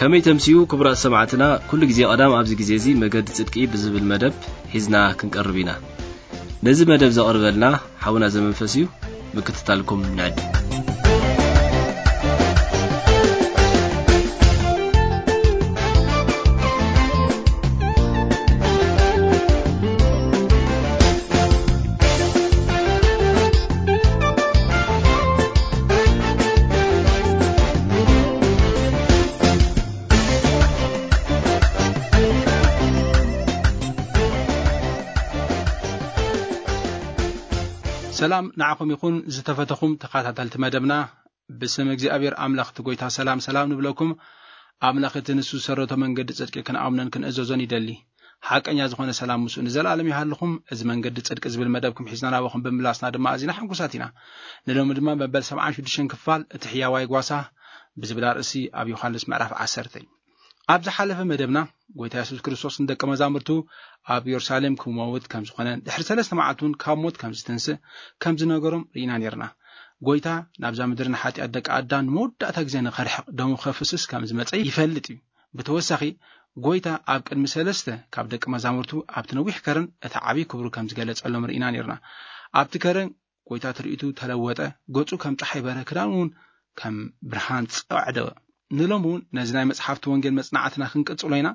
ከመይ ተምስዩ ክቡራት ሰማዕትና፣ ኩሉ ግዜ ቀዳም ኣብዚ ግዜ እዚ መገዲ ጽድቂ ብዝብል መደብ ሒዝና ክንቀርብ ኢና። ነዚ መደብ ዘቕርበልና ሓውና ዘመንፈስ እዩ። ምክትታልኩም ንዕድም። ሰላም ንዓኹም ይኹን ዝተፈተኹም ተኸታተልቲ መደብና። ብስም እግዚኣብሔር ኣምላኽ እቲ ጐይታ ሰላም ሰላም ንብለኩም። ኣምላኽ እቲ ንሱ ዝሰረቶ መንገዲ ጽድቂ ክንኣምኖን ክንእዘዞን ይደሊ። ሓቀኛ ዝኾነ ሰላም ምስኡ ንዘለኣለም ይሃልኹም። እዚ መንገዲ ጽድቂ ዝብል መደብኩም ሒዝና ናባኹም ብምምላስና ድማ ኣዚና ሕጉሳት ኢና። ንሎሚ ድማ መበል ሰብዓን ሽዱሽተን ክፋል እቲ ሕያዋይ ጓሳ ብዝብል ኣርእሲ ኣብ ዮሃንስ ምዕራፍ ዓሰርተ። ኣብ ዝሓለፈ መደብና ጐይታ የሱስ ክርስቶስ ንደቀ መዛሙርቱ ኣብ የሩሳሌም ክመውት ከም ዝኾነ ድሕሪ ሰለስተ መዓልቲ እውን ካብ ሞት ከም ዝትንስእ ከም ዝነገሮም ርኢና ነርና። ጐይታ ናብዛ ምድሪ ንሓጢኣት ደቂ ኣዳም ንመወዳእታ ግዜ ንኸርሕቕ ደሙ ከፍስስ ከም ዝመጸ ይፈልጥ እዩ። ብተወሳኺ ጐይታ ኣብ ቅድሚ ሰለስተ ካብ ደቂ መዛሙርቱ ኣብቲ ነዊሕ ከረን እቲ ዓብዪ ክብሩ ከም ዝገለጸሎም ርኢና ነርና። ኣብቲ ከረን ጐይታ ትርኢቱ ተለወጠ፣ ገጹ ከም ጸሓይ በረ፣ ክዳኑ እውን ከም ብርሃን ጸዕደወ። ንሎም እውን ነዚ ናይ መጽሓፍቲ ወንጌል መጽናዕትና ክንቅጽሎ ኢና።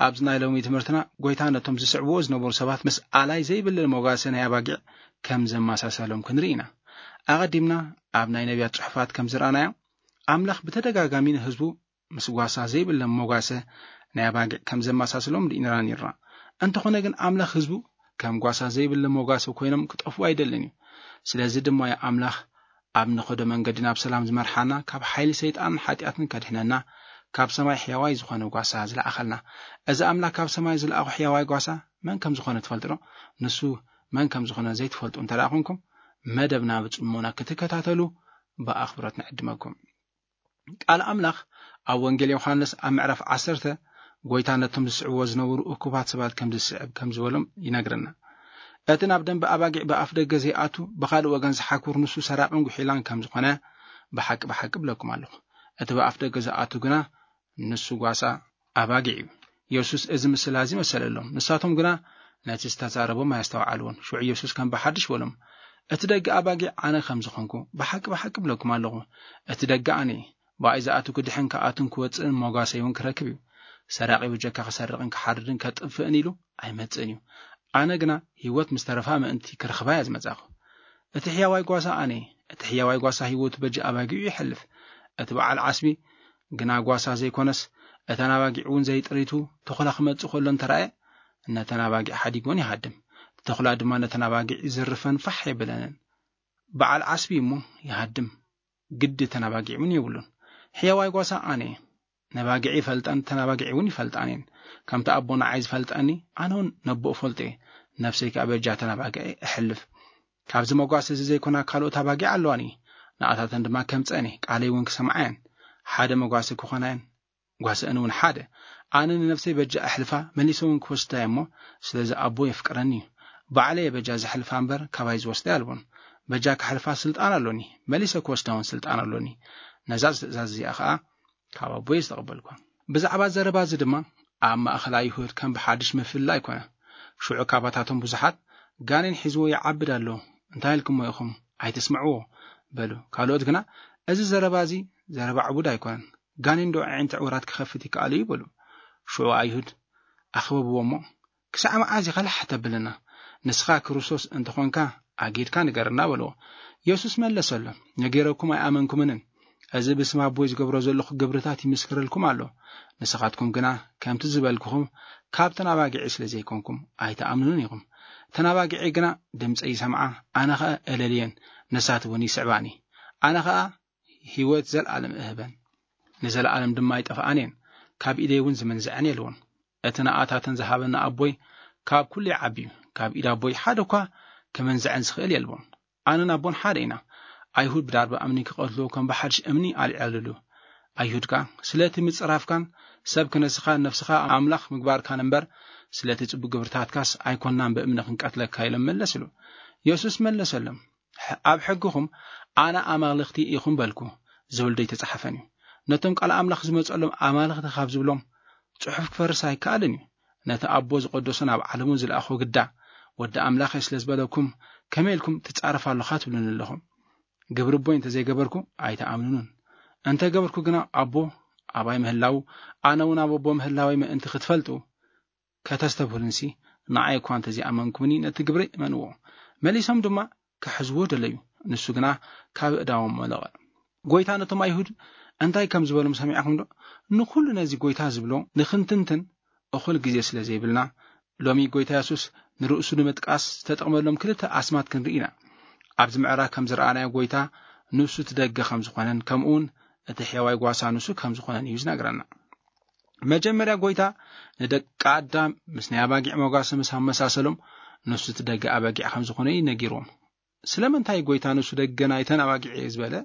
ኣብዚ ናይ ሎሚ ትምህርትና ጐይታ ነቶም ዝስዕብዎ ዝነበሩ ሰባት ምስ ኣላይ ዘይብለ መጓሰ ናይ ኣባጊዕ ከም ዘመሳሰሎም ክንርኢ ኢና። ኣቐዲምና ኣብ ናይ ነቢያት ጽሑፋት ከም ዝረኣናዮ ኣምላኽ ብተደጋጋሚ ንህዝቡ ምስ ጓሳ ዘይብለ መጓሰ ናይ ኣባጊዕ ከም ዘመሳስሎም ርኢና ነርና። እንተኾነ ግን ኣምላኽ ህዝቡ ከም ጓሳ ዘይብለ መጓሰ ኮይኖም ክጠፍኡ ኣይደልን እዩ። ስለዚ ድማ እዩ ኣምላኽ ኣብ ንኸዶ መንገዲ ናብ ሰላም ዝመርሓና፣ ካብ ሓይሊ ሰይጣንን ሓጢኣትን ከድሕነና፣ ካብ ሰማይ ሕያዋይ ዝኾነ ጓሳ ዝለኣኸልና። እዚ ኣምላኽ ካብ ሰማይ ዝለኣኹ ሕያዋይ ጓሳ መን ከም ዝኾነ ትፈልጡ ዶ? ንሱ መን ከም ዝኾነ ዘይትፈልጡ እንተ ደኣ ኾንኩም፣ መደብና ብጽሞና ክትከታተሉ ብኣኽብሮት ንዕድመኩም። ቃል ኣምላኽ ኣብ ወንጌል ዮሃንስ ኣብ ምዕራፍ ዓሰርተ ጐይታ ነቶም ዝስዕብዎ ዝነበሩ እኩባት ሰባት ከም ዝስዕብ ከም ዝበሎም ይነግረና። እቲ ናብ ደንበ ኣባጊዕ ብኣፍ ደገ ዘይኣቱ፣ ብኻልእ ወገን ዝሓኩር ንሱ ሰራቕን ጉሒላን ከም ዝኾነ ብሓቂ ብሓቂ እብለኩም ኣለኹ። እቲ ብኣፍ ደገ ዝኣቱ ግና ንሱ ጓሳ ኣባጊዕ እዩ። የሱስ እዚ ምስላ እዚ መሰለሎም። ንሳቶም ግና ነቲ ዝተዛረቦም ኣየስተውዓልዎን። ሽዑ የሱስ ከም ብሓድሽ በሎም፣ "እቲ ደገ ኣባጊዕ ኣነ ከም ዝኾንኩ ብሓቂ ብሓቂ እብለኩም ኣለኹ። እቲ ደገ ኣነ እየ። ብኣይ ዝኣቱ ክድሕን ክኣቱን ክወጽእን መጓሰይ እውን ክረክብ እዩ። ሰራቒ ብጀካ ክሰርቕን ክሓርድን ከጥፍእን ኢሉ ኣይመጽእን እዩ። ኣነ ግና ህይወት ምስ ተረፋ ምእንቲ ክረኽባ እየ ዝመጻኹ። እቲ ሕያዋይ ጓሳ ኣነ እየ። እቲ ሕያዋይ ጓሳ ህይወቱ በጃ ኣባጊዑ ይሐልፍ። እቲ በዓል ዓስቢ ግና ጓሳ ዘይኮነስ፣ እተን ኣባጊዕ እውን ዘይጥሪቱ ተኹላ ክመጽእ ከሎ እንተረኣየ፣ ነተን ኣባጊዕ ሓዲግወን ይሃድም። እቲ ተኹላ ድማ ነተን ኣባጊዕ ይዝርፈን ፋሕ የብለንን። በዓል ዓስቢ እሞ ይሃድም፣ ግዲ እተን ኣባጊዕ እውን የብሉን። ሕያዋይ ጓሳ ኣነ እየ። ነባጊዕ ይፈልጠን፣ እተን ኣባጊዕ እውን ይፈልጣን እየን። ከምቲ ኣቦ ንዓይ ዝፈልጠኒ፣ ኣነ እውን ነቦ እፈልጦ እየ። ነፍሰይ ከኣ በጃ እተን ኣባጊዕ እሕልፍ። ካብዚ መጓሰ እዚ ዘይኮና ካልኦት ኣባጊዕ ኣለዋኒ። ንኣታተን ድማ ከምጸአን እየ፣ ቃለይ እውን ክሰምዓ እየን። ሓደ መጓሰ ክኾና እየን፣ ጓስአን እውን ሓደ። ኣነ ንነፍሰይ በጃ ኣሕልፋ፣ መሊሰ እውን ክወስዳ እየ እሞ፣ ስለዚ ኣቦ የፍቅረኒ እዩ። ባዕለይ እየ በጃ ዘሕልፋ እምበር፣ ካባይ ዝወስዳ የልቦን። በጃ ከሕልፋ ስልጣን ኣሎኒ፣ መሊሰ ክወስዳ እውን ስልጣን ኣሎኒ። ነዛ ትእዛዝ እዚኣ ኸኣ ካብ ኣቦይ ዝተቐበልኳ። ብዛዕባ ዘረባ እዚ ድማ ኣብ ማእከል ኣይሁድ ከም ብሓድሽ ምፍልላይ ኮነ። ሽዑ ካባታቶም ብዙሓት፣ "ጋኔን ሒዝዎ ይዓብድ ኣሎ፣ እንታይ ኢልኩሞ ኢኹም? ኣይትስምዕዎ" በሉ። ካልኦት ግና፣ "እዚ ዘረባ እዚ ዘረባ ዕቡድ ኣይኮነን፣ ጋኔን ዶ ኣዒንቲ ዕውራት ክኸፍት ይከኣል እዩ?" በሉ። ሽዑ ኣይሁድ ኣኽበብዎ እሞ፣ "ክሳዕ መዓዝ ኢኻ ላሕ ተብለና? ንስኻ ክርስቶስ እንተኾንካ ኣጊድካ ንገረና" በልዎ። የሱስ መለሰሎም፣ "ነጊረኩም ኣይኣመንኩምንን። እዚ ብስም ኣቦይ ዝገብሮ ዘለኹ ግብርታት ይምስክረልኩም ኣሎ። ንስኻትኩም ግና ከምቲ ዝበልኩኹም ካብተን ኣባጊዒ ስለ ዘይኮንኩም ኣይትኣምኑንን ኢኹም። እተን ኣባጊዒ ግና ድምፀይ ይሰምዓ፣ ኣነ ኸኣ እለልየን፣ ንሳት እውን ይስዕባኒ። ኣነ ኸኣ ህይወት ዘለኣለም እህበን፣ ንዘለኣለም ድማ ኣይጠፍኣን እየን፣ ካብ ኢደይ እውን ዝመንዝዐን የልቦን። እቲ ንኣታተን ዝሃበኒ ኣቦይ ካብ ኩሉ ይዓቢ እዩ። ካብ ኢድ ኣቦይ ሓደ እኳ ክመንዝዐን ዝኽእል የልቦን። ኣነን ኣቦን ሓደ ኢና። ኣይሁድ ብዳርባ እምኒ ክቐትልዎ ከም ብሓድሽ እምኒ ኣልዐልሉ። ኣይሁድ ከኣ፣ ስለቲ ምጽራፍካን ሰብ ክነስኻን ነፍስኻ ኣምላኽ ምግባርካን እምበር፣ ስለቲ ጽቡቕ ግብርታትካስ ኣይኮንናን ብእምኒ ክንቀትለካ" ኢሎም መለስሉ። የሱስ መለሰሎም፣ "ኣብ ሕግኹም ኣነ ኣማልኽቲ ኢኹም በልኩ ዝብል ዶ ኣይተጻሕፈን እዩ? ነቶም ቃል ኣምላኽ ዝመጸሎም ኣማልኽቲ ካብ ዝብሎም ጽሑፍ ክፈርስ ኣይከኣልን እዩ። ነቲ ኣቦ ዝቐደሶ ናብ ዓለሙ ዝለኣኾ ግዳ፣ "ወዲ ኣምላኽ እየ ስለ ዝበለኩም፣ ከመይ ኢልኩም ትጻረፍ ኣለኻ?" ትብሉኒ ኣለኹም። ግብሪ ኣቦይ እንተ ዘይገበርኩ ኣይትኣምኑኑን። እንተ ገበርኩ ግና ኣቦ ኣባይ ምህላዉ፣ ኣነ እውን ኣብ ኣቦ ምህላወይ ምእንቲ ክትፈልጡ፣ ከተስተብህሉንሲ፣ ንዓይ እኳ እንተ ዘይኣመንኩምኒ፣ ነቲ ግብሪ እመንዎ። መሊሶም ድማ ክሕዝዎ ደለዩ። ንሱ ግና ካብ እዳዎም መለቐ። ጎይታ ነቶም ኣይሁድ እንታይ ከም ዝበሎም ሰሚዕኹም ዶ? ንኹሉ ነዚ ጎይታ ዝብሎ ንኽንትንትን እኹል ግዜ ስለ ዘይብልና፣ ሎሚ ጎይታ የሱስ ንርእሱ ንምጥቃስ ዝተጠቕመሎም ክልተ ኣስማት ክንርኢ ኢና። ኣብዚ ምዕራፍ ከም ዝረኣናዮ፣ ጎይታ ንሱ እቲ ደገ ከም ዝኾነን፣ ከምኡ እውን እቲ ሕያዋይ ጓሳ ንሱ ከም ዝኾነን እዩ ዝነግረና። መጀመርያ፣ ጎይታ ንደቂ ኣዳም ምስ ናይ ኣባጊዕ መጓሰ ምስ ኣመሳሰሎም፣ ንሱ እቲ ደገ ኣባጊዕ ከም ዝኾነ እዩ ነጊርዎም። ስለምንታይ ጎይታ ንሱ ደገ ናይተን ኣባጊዕ እየ ዝበለ?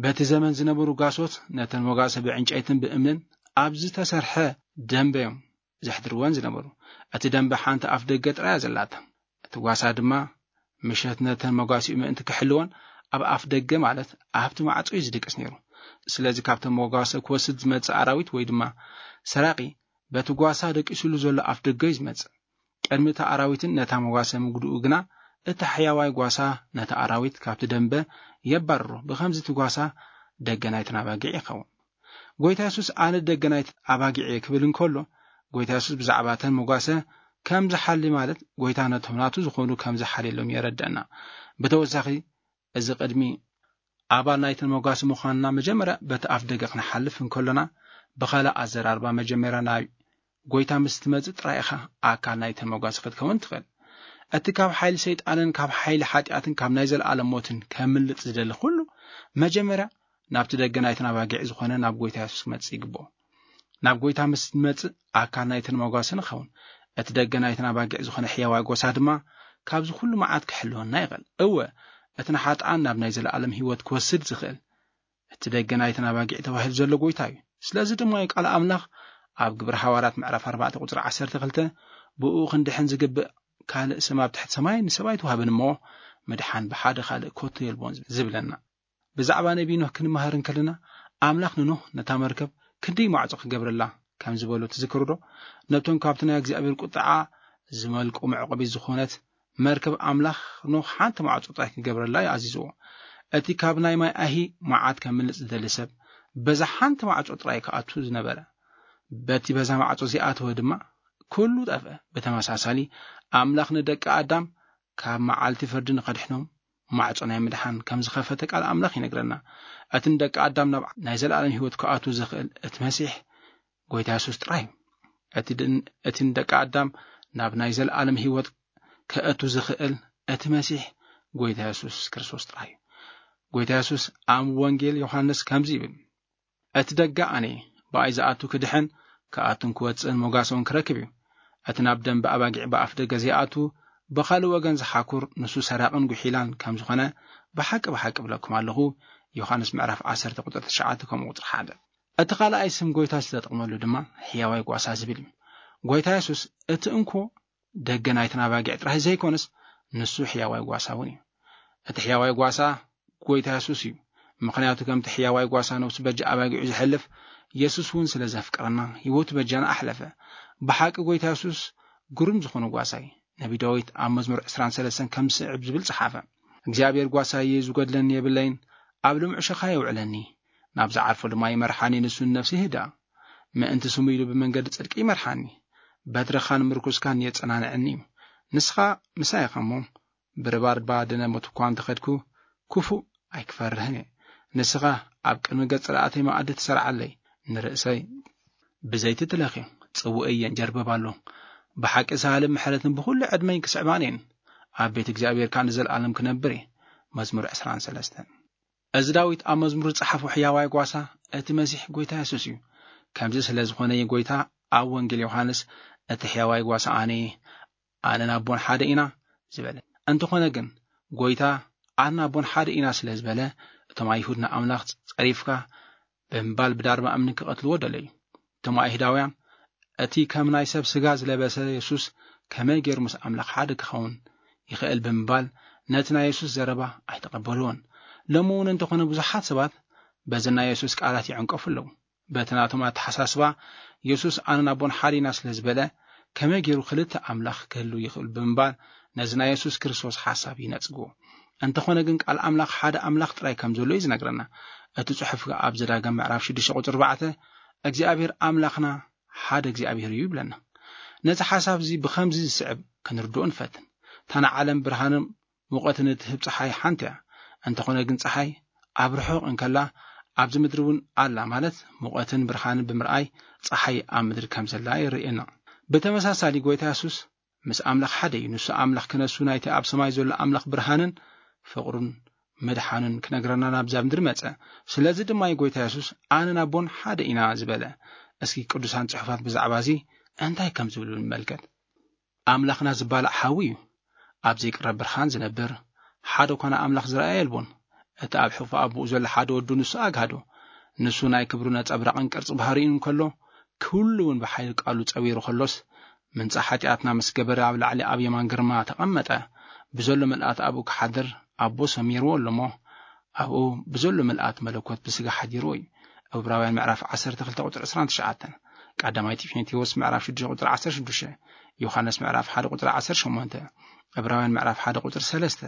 በቲ ዘመን ዝነበሩ ጓሶት ነተን መጓሰ ብዕንጨይትን ብእምንን ኣብ ዝተሰርሐ ደንበ እዮም ዘሕድርወን ዝነበሩ። እቲ ደንበ ሓንቲ ኣፍ ደገ ጥራይ እያ ዘላታ። እቲ ጓሳ ድማ ምሸት ነተን መጓሲኡ ምእንቲ ክሕልወን ኣብ ኣፍ ደገ፣ ማለት ኣብቲ ማዕጾ እዩ ዝድቅስ ነይሩ። ስለዚ ካብተን መጓሰ ክወስድ ዝመጽእ ኣራዊት ወይ ድማ ሰራቂ በቲ ጓሳ ደቂሱሉ ዘሎ ኣፍ ደገ እዩ ዝመጽእ። ቅድሚ እቲ ኣራዊትን ነታ መጓሰ ምግድኡ ግና፣ እቲ ሕያዋይ ጓሳ ነቲ ኣራዊት ካብቲ ደንበ የባርሮ። ብኸምዚ እቲ ጓሳ ደገ ናይተን ኣባጊዕ ይኸውን። ጎይታ የሱስ፣ "ኣነ ደገ ናይት ኣባጊዕ እየ" ክብል እንከሎ፣ ጎይታ የሱስ ብዛዕባ እተን መጓሰ ከም ዝሓሊ፣ ማለት ጎይታ ነቶም ናቱ ዝኾኑ ከም ዝሓልየሎም የረድአና። ብተወሳኺ፣ እዚ ቅድሚ ኣባል ናይተን መጓሰ ምዃንና፣ መጀመርያ በቲ ኣፍ ደገ ክንሓልፍ እንከሎና፣ ብኻልእ ኣዘራርባ፣ መጀመርያ ናብ ጎይታ ምስ ትመጽእ ጥራይ ኢኻ ኣካል ናይተን መጓሰ ክትከውን ትኽእል። እቲ ካብ ሓይሊ ሰይጣንን ካብ ሓይሊ ሓጢኣትን ካብ ናይ ዘለኣለም ሞትን ከምልጥ ዝደሊ ኩሉ፣ መጀመርያ ናብቲ ደገ ናይተን ኣባጊዕ ዝኾነ ናብ ጎይታ የሱስ ክመጽእ ይግብኦ። ናብ ጎይታ ምስ ንመጽእ ኣካል ናይተን መጓሰ ንኸውን። እቲ ደገ ናይተን ኣባጊዕ ዝኾነ ሕያዋይ ጓሳ ድማ ካብዚ ኩሉ መዓት ክሕልወና ይኽእል። እወ፣ እቲ ንሓጥኣን ናብ ናይ ዘለኣለም ህይወት ክወስድ ዝኽእል እቲ ደገ ናይተን ኣባጊዕ ተባሂሉ ዘሎ ጎይታ እዩ። ስለዚ ድማ እዩ ቃል ኣምላኽ ኣብ ግብሪ ሃዋርያት ምዕራፍ ኣርባዕተ ቁጽሪ ዓሰርተ ክልተ፣ "ብእኡ ክንድሕን ዝግብእ ካልእ ስም ኣብ ትሕቲ ሰማይ ንሰብ ኣይተዋህበን እሞ፣ ምድሓን ብሓደ ካልእ ከቶ የልቦን" ዝብለና። ብዛዕባ ነቢይ ኖህ ክንመሃር እንከለና፣ ኣምላኽ ንኖህ ነታ መርከብ ክንደይ ማዕጾ ክገብረላ ከም ዝበሎ ትዝክሩ ዶ? ነቶም ካብቲ ናይ እግዚኣብሔር ቁጥዓ ዝመልቁ መዕቆቢ ዝኾነት መርከብ ኣምላኽ ኖህ ሓንቲ ማዕጾ ጥራይ ክገብረላ እዩ ኣዚዝዎ። እቲ ካብ ናይ ማይ ኣሂ መዓት ከምልጥ ዝደሊ ሰብ በዛ ሓንቲ ማዕጾ ጥራይ ክኣቱ ዝነበረ፣ በቲ በዛ ማዕጾ ዝኣተወ ድማ ኩሉ ጠፍአ። ብተመሳሳሊ፣ ኣምላኽ ንደቂ ኣዳም ካብ መዓልቲ ፍርዲ ንኸድሕኖም ማዕጾ ናይ ምድሓን ከም ዝኸፈተ ቃል ኣምላኽ ይነግረና። እቲ ንደቂ ኣዳም ናብ ናይ ዘለኣለም ህይወት ክኣቱ ዝኽእል እቲ መሲሕ ጎይታ የሱስ ጥራይ እዩ። እቲ ድን-፣ እቲ ንደቂ ኣዳም ናብ ናይ ዘለኣለም ህይወት ከእቱ ዝኽእል እቲ መሲሕ ጎይታ የሱስ ክርስቶስ ጥራይ እዩ። ጎይታ የሱስ ኣብ ወንጌል ዮሃንስ ከምዚ ይብል፣ "እቲ ደገ ኣነ እየ፣ ብኣይ ዝኣቱ ክድሕን፣ ክኣቱን ክወጽእን መጓሰውን ክረክብ እዩ። እቲ ናብ ደንበ ኣባጊዕ ብኣፍ ደገ ዘይኣቱ፣ ብኻልእ ወገን ዝሓኩር፣ ንሱ ሰራቕን ጉሒላን ከም ዝኾነ፣ ብሓቂ፣ ብሓቂ እብለኩም ኣለኹ።" ዮሃንስ ምዕራፍ ዓሰርተ ቁጽሪ ትሽዓተ ከምኡ ቁጽሪ ሓደ። እቲ ካልኣይ ስም ጎይታ ዝተጠቕመሉ ድማ ሕያዋይ ጓሳ ዝብል እዩ። ጎይታ የሱስ እቲ እንኮ ደገ ናይተን ኣባጊዕ ጥራይ ዘይኮነስ፣ ንሱ ሕያዋይ ጓሳ እውን እዩ። እቲ ሕያዋይ ጓሳ ጎይታ የሱስ እዩ። ምኽንያቱ ከምቲ ሕያዋይ ጓሳ ነብሱ በጃ ኣባጊዑ ዝሕልፍ፣ የሱስ እውን ስለ ዘፍቅረና ህይወቱ በጃና ኣሕለፈ። ብሓቂ ጎይታ የሱስ ግሩም ዝኾነ ጓሳ እዩ። ነቢ ዳዊት ኣብ መዝሙር ዕስራን ሰለስተን ከም ዝስዕብ ዝብል ጸሓፈ፣ "እግዚኣብሔር ጓሳይ እዩ፣ ዝጎድለኒ የብለይን፣ ኣብ ልምዑ ሸኻ የውዕለኒ፣ ናብ ዝዓርፎ ድማ ይመርሓኒ፣ ንሱ ንነፍሲ ይህድኣ። ምእንቲ ስሙ ኢሉ ብመንገዲ ጽድቂ ይመርሓኒ፣ በትርኻን ምርኩስካን የጸናንዐኒ እዩ። ንስኻ ምሳይ ኢኻ እሞ፣ ብርባርባ ደነ ሞት እኳ እንተኸድኩ፣ ክፉእ ኣይክፈርህን እየ። ንስኻ ኣብ ቅድሚ ገጽ ጸላእተይ መኣዲ ትሰርዓለይ፣ ንርእሰይ ብዘይቲ ትለኽዮ፣ ጽውእይ የንጀርብብ ኣሎ። ብሓቂ ሳህልን ምሕረትን ብኹሉ ዕድመይ ክስዕባን እየን፣ ኣብ ቤት እግዚኣብሔር ከኣ ንዘለኣለም ክነብር እየ።" መዝሙር ዕስራን ሰለስተን። እዚ ዳዊት ኣብ መዝሙር ዝጸሓፎ ሕያዋይ ጓሳ እቲ መሲሕ ጎይታ የሱስ እዩ። ከምዚ ስለ ዝኾነ እዩ ጎይታ ኣብ ወንጌል ዮሃንስ፣ "እቲ ሕያዋይ ጓሳ ኣነ እየ፣ ኣነን ኣቦን ሓደ ኢና" ዝበለ። እንተኾነ ግን፣ ጎይታ "ኣነን ኣቦን ሓደ ኢና" ስለ ዝበለ፣ እቶም ኣይሁድ ንኣምላኽ ጸሪፍካ ብምባል ብዳርባ እምኒ ክቐትልዎ ደለዩ። እቶም ኣይሁዳውያን፣ "እቲ ከም ናይ ሰብ ስጋ ዝለበሰ የሱስ ከመይ ገይሩ ምስ ኣምላኽ ሓደ ክኸውን ይኽእል?" ብምባል ነቲ ናይ የሱስ ዘረባ ኣይተቐበልዎን። ሎሚ እውን እንተኾነ ብዙሓት ሰባት በዚ ናይ የሱስ ቃላት ይዕንቀፉ ኣለዉ። በቲ ናቶም ኣተሓሳስባ፣ የሱስ ኣነን ኣቦን ሓደ ኢና ስለ ዝበለ፣ ከመይ ገይሩ ክልተ ኣምላኽ ክህሉ ይኽእል ብምባል ነዚ ናይ የሱስ ክርስቶስ ሓሳብ ይነጽግዎ። እንተኾነ ግን ቃል ኣምላኽ ሓደ ኣምላኽ ጥራይ ከም ዘሎ እዩ ዝነግረና። እቲ ጽሑፍ ኣብ ዘዳግም ምዕራፍ ሽዱሽተ ቁጽሪ ኣርባዕተ እግዚኣብሔር ኣምላኽና ሓደ እግዚኣብሔር እዩ ይብለና። ነዚ ሓሳብ እዚ ብኸምዚ ዝስዕብ ክንርድኦ ንፈትን። እታ ንዓለም ብርሃንን ሙቐትን እትህብ ጸሓይ ሓንቲ እያ። እንተኾነ ግን ጸሓይ ኣብ ርሑቕ እንከላ ኣብዚ ምድሪ እውን ኣላ፣ ማለት ሙቐትን ብርሃንን ብምርኣይ ጸሓይ ኣብ ምድሪ ከም ዘላ የርእየና። ብተመሳሳሊ ጎይታ የሱስ ምስ ኣምላኽ ሓደ እዩ። ንሱ ኣምላኽ ክነሱ ናይቲ ኣብ ሰማይ ዘሎ ኣምላኽ ብርሃንን ፍቕሩን ምድሓኑን ክነግረና ናብዛ ምድሪ መጸ። ስለዚ ድማ እዩ ጎይታ የሱስ ኣነን ኣቦን ሓደ ኢና ዝበለ። እስኪ ቅዱሳን ጽሑፋት ብዛዕባ እዚ እንታይ ከም ዝብሉ ንመልከት። ኣምላኽና ዝባላዕ ሓዊ እዩ። ኣብ ዘይቅረብ ብርሃን ዝነብር ሓደ ኮነ ኣምላኽ ዝረኣየ የልቦን። እቲ ኣብ ሕቑፊ ኣቦኡ ዘሎ ሓደ ወዱ ንሱ ኣግሃዶ። ንሱ ናይ ክብሩ ነጸብራቕን ቅርጺ ባህሪኡን እንከሎ፣ ኩሉ እውን ብሓይሊ ቃሉ ጸዊሩ ከሎስ፣ ምንጻ ሓጢኣትና ምስ ገበረ ኣብ ላዕሊ ኣብ የማን ግርማ ተቐመጠ። ብዘሎ ምልኣት ኣብኡ ክሓድር ኣቦ ሰሚርዎ ኣሎ እሞ፣ ኣብኡ ብዘሎ ምልኣት መለኮት ብስጋ ሓዲርዎ እዩ። ዕብራውያን ምዕራፍ ዓሰርተ ክልተ ቁጽሪ ዕስራን ትሽዓተን፣ ቀዳማይ ጢሞቴዎስ ምዕራፍ ሽዱሽተ ቁጽሪ ዓሰርተ ሽዱሽተ፣ ዮሃንስ ምዕራፍ ሓደ ቁጽሪ ዓሰርተ ሸሞንተ፣ ዕብራውያን ምዕራፍ ሓደ ቁጽሪ ሰለስተ፣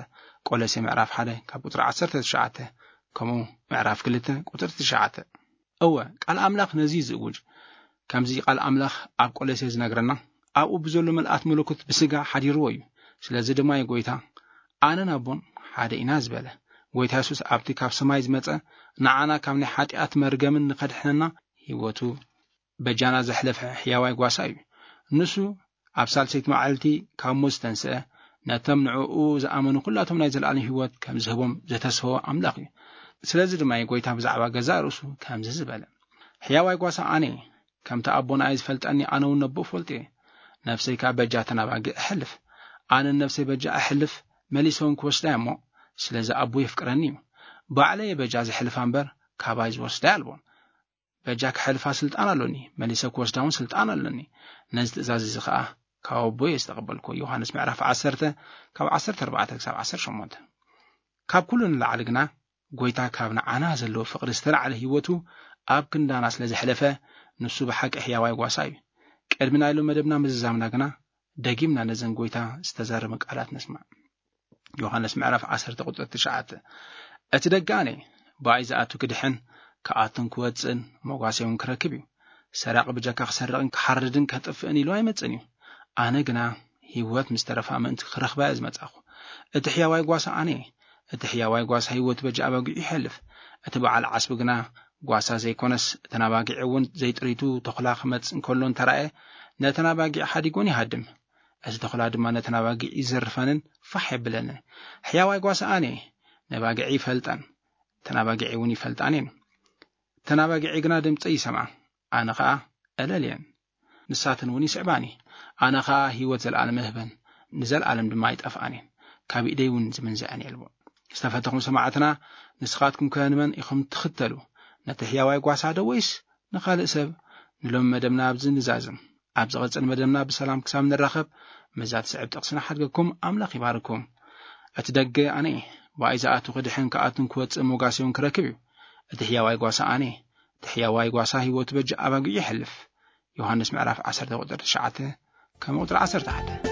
ቆሎሴ ምዕራፍ ሓደ ካብ ቁጽሪ ዓሰርተ ትሽዓተ፣ ከምኡ ምዕራፍ ክልተ ቁጽሪ ትሽዓተ። እወ፣ ቃል ኣምላኽ ነዚ እዩ ዝእውጅ። ከምዚ ቃል ኣምላኽ ኣብ ቆሎሴ ዝነግረና፣ ኣብኡ ብዘሎ ምልኣት መለኮት ብስጋ ሓዲርዎ እዩ። ስለዚ ድማ እዩ ጎይታ ኣነን ኣቦን ሓደ ኢና ዝበለ። ጎይታ የሱስ ኣብቲ ካብ ሰማይ ዝመጸ ንዓና ካብ ናይ ሓጢኣት መርገምን ንኸድሕነና ህይወቱ በጃና ዘሕለፈ ሕያዋይ ጓሳ እዩ። ንሱ ኣብ ሳልሰይቲ መዓልቲ ካብ ሞት ዝተንስአ፣ ነቶም ንዕኡ ዝኣመኑ ኩላቶም ናይ ዘለኣለም ህይወት ከም ዝህቦም ዘተስፈወ ኣምላኽ እዩ። ስለዚ ድማ እዩ ጎይታ ብዛዕባ ገዛእ ርእሱ ከምዚ ዝበለ፣ ሕያዋይ ጓሳ ኣነ እየ፣ ከምቲ ኣቦ ንኣይ ዝፈልጠኒ ኣነ እውን ነቦ እፈልጦ እየ። ነፍሰይ ከኣ በጃ ተናባጊ እሕልፍ። ኣነ ነፍሰይ በጃ እሕልፍ፣ መሊሰ እውን ክወስዳ እየ እሞ፣ ስለዚ ኣቦ የፍቅረኒ እዩ። ባዕለይ እየ በጃ ዝሕልፋ እምበር ካባይ ዝወስዳ ኣልቦን። በጃ ክሕልፋ ስልጣን ኣሎኒ፣ መሊሰ ክወስዳ እውን ስልጣን ኣሎኒ። ነዚ ትእዛዝ እዚ ኸኣ ካብ ኣቦ እየ ዝተቐበልኩ። ዮሃንስ ምዕራፍ ዓሰርተ ካብ ዓሰርተ ኣርባዕተ ክሳብ ዓሰርተ ሸሞንተ። ካብ ኩሉ ንላዕሊ ግና ጎይታ ካብ ንዓና ዘለዎ ፍቕሪ ዝተላዕለ ህይወቱ ኣብ ክንዳና ስለ ዘሕለፈ፣ ንሱ ብሓቂ ሕያዋይ ጓሳ እዩ። ቅድሚ ናይ ሎም መደብና ምዝዛምና ግና ደጊምና ነዘን ጎይታ ዝተዛረበ ቃላት ንስማዕ። ዮሃንስ ምዕራፍ ዓሰርተ ቁጽሪ ትሽዓተ፣ እቲ ደገ ኣነ ብኣይ ዝኣቱ ክድሕን ክኣቱን ክወጽእን መጓሰ እውን ክረክብ እዩ። ሰራቂ ብጀካ ክሰርቕን ክሓርድን ከጥፍእን ኢሉ ኣይመጽእን እዩ። ኣነ ግና ህይወት ምስ ተረፋ ምእንቲ ክረኽባ እየ ዝመጻኹ። እቲ ሕያዋይ ጓሳ ኣነ እየ። እቲ ሕያዋይ ጓሳ ህይወቱ በጃ ኣባጊዑ ይሐልፍ። እቲ በዓል ዓስቢ ግና ጓሳ ዘይኮነስ እተን ኣባጊዕ እውን ዘይጥሪቱ ተኹላ ክመጽእ እንከሎ እንተራእየ፣ ነተን ኣባጊዕ ሓዲጎን ይሃድም። እዚ ተኹላ ድማ ነተን ኣባጊዕ ይዘርፈንን ፋሕ የብለንን። ሕያዋይ ጓሳ ኣነ እየ። ነባጊዕ ይፈልጠን፣ እተን ኣባጊዕ እውን ይፈልጣን እየን። እተን ኣባጊዕ ግና ድምፀይ ይሰምዓ፣ ኣነ ኸኣ እለልየን፣ ንሳተን እውን ይስዕባኒ። ኣነ ኸኣ ህይወት ዘለኣለም እህበን፣ ንዘለኣለም ድማ ኣይጠፍኣን እየን፣ ካብ ኢደይ እውን ዝምንዝዐን የልቦ። ዝተፈተኹም ሰማዕትና፣ ንስኻትኩም ከ ንመን ኢኹም ትኽተሉ? ነቲ ሕያዋይ ጓሳ ዶ ወይስ ንኻልእ ሰብ? ንሎሚ መደብና ኣብዚ ንዛዝም። ኣብ ዝቐጽል መደብና ብሰላም ክሳብ ንራኸብ፣ ምስዛ ትስዕብ ጥቕሲ ንሓድገኩም። ኣምላኽ ይባርኩም። እቲ ደገ ኣነ እየ፣ ብኣይ ዝኣቱ ክድሕን ክኣቱን ክወጽእ ሞጋሲ እውን ክረክብ እዩ። እቲ ሕያዋይ ጓሳ ኣነ እየ። እቲ ሕያዋይ ጓሳ ህይወቱ በጃ ኣባጊዑ የሕልፍ። ዮሃንስ ምዕራፍ ዓሰርተ ቁጽሪ ትሽዓተ፣ ከም ቁጽሪ ዓሰርተ ሓደ።